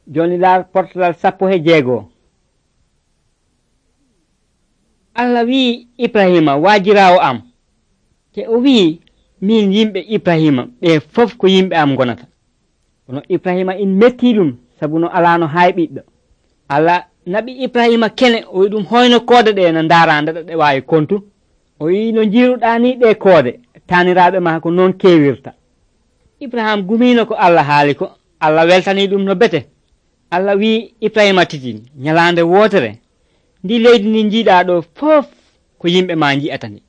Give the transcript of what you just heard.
joni laar portalal 16. Allah wi Ibrahima waajirawo am te o wi min yimɓe Ibrahima ɓe fof ko yimɓe am gonata. Kono Ibrahima in metti ɗum sabu no alano hay ɓiɗɗo. Allah naɓi Ibrahima kene o wi ɗum hoyno koode ɗe no ndaara ndeɗa ɗe wawi kontu. O wi no jiiruɗa ni ɗe koode taniraɓe ma ko noon kewirta. Ibrahima gumino ko Allah haali ko. Allah weltani ɗum no bete. Allah wi Ibrahima titi ñalande wotere ndi leydi ndi jiiɗa ɗo fof ko yimɓe ma ji'atani.